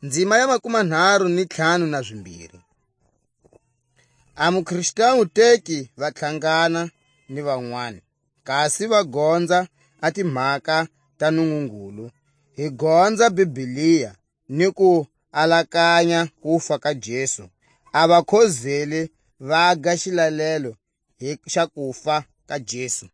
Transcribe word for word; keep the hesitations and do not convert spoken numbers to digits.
Ndzima ya makumanharu ni ntlhanu na zimbiri. A muKristu wu teki va tlhangana ni van'wani, kasi va gonza a timhaka ta Nungungulu. Hi gonza Biblia ni ku alakanya kufa ka Jesu. A vakhozeli va ga xilalelo hi xa kufa ka Jesu.